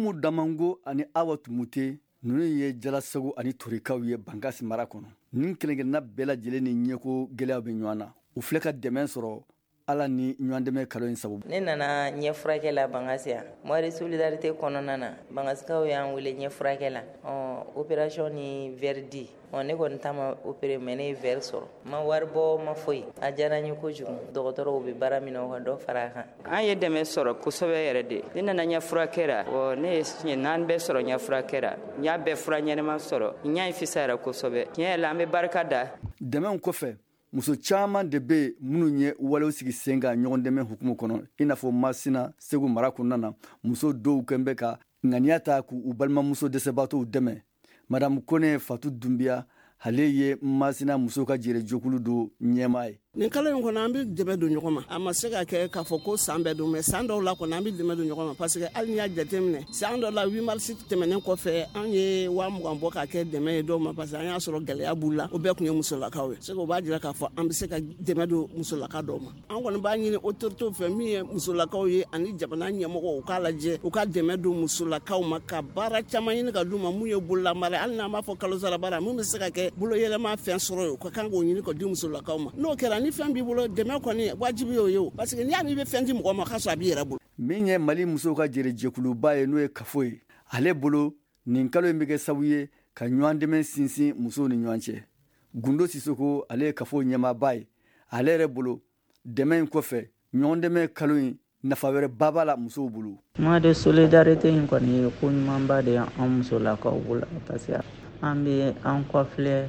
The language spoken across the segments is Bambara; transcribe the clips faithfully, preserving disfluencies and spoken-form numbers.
Umu Damango ani Awa Tumute, ninnu ye Jalasago ani Torikaw ye Bankasi mara kɔnɔ. Nin kelen-kelenna bɛɛ lajɛlen ni ɲɛko gɛlɛyaw bɛ ɲɔgɔn na. U filɛ ka dɛmɛ sɔrɔ Ala ni ɲɔgɔndɛmɛ kalo in sababu. Ne nana ɲɛ furakɛ la Bankasi yan. Mois de solidarité kɔnɔna na, Bankasikaw y'an wele ɲɛ furakɛ la. Ɔ opération ni verre di. Ɔ ne kɔni ta ma opéré, mais ne ye verre sɔrɔ. N ma wari bɔ, ma foyi. A diyara n ye kojugu. Dɔgɔtɔrɔw bɛ baara min na, u ka dɔ fara a kan. An ye dɛmɛ sɔrɔ kosɛbɛ yɛrɛ de. Ne nana ɲɛ furakɛ la. Ɔ ne ye siɲɛ naani bɛɛ sɔrɔ ɲɛ furakɛ la. N y'a bɛɛ fura ɲɛnama sɔrɔ. N y'a ye fisayara kosɛbɛ. Tiɲɛ yɛrɛ la, an bɛ barika da. Dɛmɛw kɔfɛ, muso caman de bɛ yen minnu ye walew sigi sen kan ɲɔgɔn dɛmɛ hukumu kɔnɔ, i n'a fɔ Masina, Segu mara kɔnɔna na, muso dɔw kɛn bɛ ka ŋaniya ta k'u balimamuso dɛsɛbaatɔw dɛmɛ. Madamu Kone Fatu Dunbiya, ale ye Masina musow ka jɛrɛjɛkulu dɔ ɲɛmaa ye. Nin kalo in kɔnɔ, an bɛ dɛmɛ don ɲɔgɔn ma. A ma se ka kɛ k'a fɔ ko san bɛɛ don, mais san dɔw la kɔni, an bɛ dɛmɛ don ɲɔgɔn ma, parce que hali n'i y'a jateminɛ, san dɔ la, huit mars tɛmɛnen kɔfɛ, an ye waa mugan bɔ k'a kɛ dɛmɛ ye dɔw ma, parce que an y'a sɔrɔ gɛlɛya b'u la. O bɛɛ tun ye musolakaw ye. Se o b'a jira k'a fɔ an bɛ se ka dɛmɛ don musolaka dɔw ma. An kɔni b'a ɲini autorités fɛ, min ye musolakaw ye ani jamana ɲɛmɔgɔw, u k'a lajɛ, u ka dɛmɛ don musolakaw ma, ka baara caman ɲini ka d'u ma, mun ye bololamara, hali n'an b'a fɔ kalo sara baara, mun bɛ se ka kɛ bolo yɛlɛma fɛn sɔrɔ ye, u ka kan k'o ɲini ka di musolakaw ma. N'o kɛra, ni fɛn b'i bolo, dɛmɛ kɔni wajibi y'o ye o, parce que n'i y'a mɛn i bɛ fɛn di mɔgɔ ma, k'a sɔrɔ a b'i yɛrɛ bolo. Min ye Mali musow ka jɛrɛjɛkuluba ye, n'o ye Kafo ye, ale bolo, nin kalo in bɛ kɛ sababu ye ka ɲɔgɔn dɛmɛ sinsin musow ni ɲɔgɔn cɛ. Gundo Sisoko, ale ye Kafo ɲɛmaaba ye. Ale yɛrɛ bolo, dɛmɛ in kɔfɛ, ɲɔgɔn dɛmɛ kalo in nafa wɛrɛ ba b'a la musow bolo. Mois de solidarité in kɔni ye ko ɲumanba de ye an musolakaw bolo, parce que an bɛ an kɔfilɛ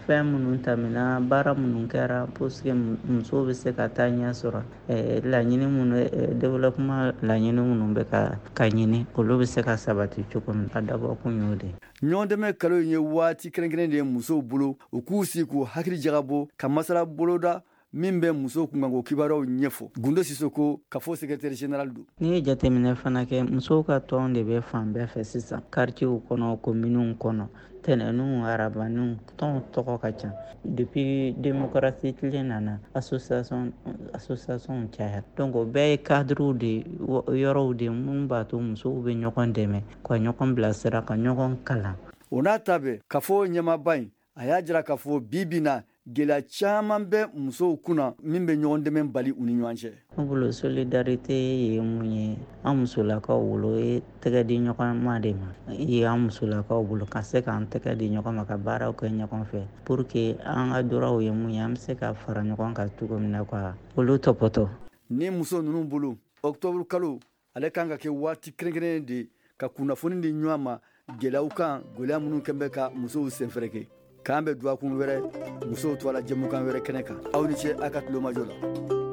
fɛn minnu tɛmɛna, baara minnu kɛra pour que musow bɛ se ka taa ɲɛ sɔrɔ, laɲini minnu, développement laɲini minnu bɛ ka ka ɲini, olu bɛ se ka sabati cogo min. A dabɔ kun y'o de ye. Ɲɔgɔndɛmɛ kalo in ye waati kɛrɛnkɛrɛn de ye musow bolo, u k'u sigi k'u hakili jagabɔ ka masala boloda min bɛ musow kunkanko kibaruyaw ɲɛfɔ. Gundo Sisoko, Kafo secrétaire général don. N'i ye jateminɛ fana kɛ, musow ka tɔn de bɛ fan bɛɛ fɛ sisan, quartier kɔnɔ, communes kɔnɔ, tɛnɛnw, arabaniw, tɔnw tɔgɔ ka ca. Depuis démocratie tile nana, association association cayara. Donc o bɛɛ ye cadre de yɔrɔw de mun b'a to musow bɛ ɲɔgɔn dɛmɛ, ka ɲɔgɔn bilasira, ka ɲɔgɔn kalan. O n'a ta bɛɛ, Kafo ɲɛmaaba in, a y'a jira k'a fɔ bi bi na, gɛlɛya caman bɛ musow kunna min bɛ ɲɔgɔn dɛmɛ bali u ni ɲɔgɔn cɛ. Ne bolo, solidarité ye mun ye an musolakaw bolo, o ye tɛgɛ di ɲɔgɔn ma de ma ye an musolakaw bolo, ka se k'an tɛgɛ di ɲɔgɔn ma, ka baaraw kɛ ɲɔgɔn fɛ, pour que an ka droitw ye mun ye, an bɛ se ka fara ɲɔgɔn kan cogo min na ka olu tɔpɔtɔ. Ni muso ninnu bolo, octobre kalo ale kan ka kɛ waati kɛrɛnkɛrɛnnen de ka kunnafoni di ɲɔgɔn ma gɛlɛyaw kan, gɛlɛya minnu kɛn bɛ ka musow senfɛrɛkɛ. K'an bɛ dɔgɔkun wɛrɛ musow tɔgɔ la jɛmukan wɛrɛ kɛnɛ kan. Aw ni ce a ka tulomajɔ la.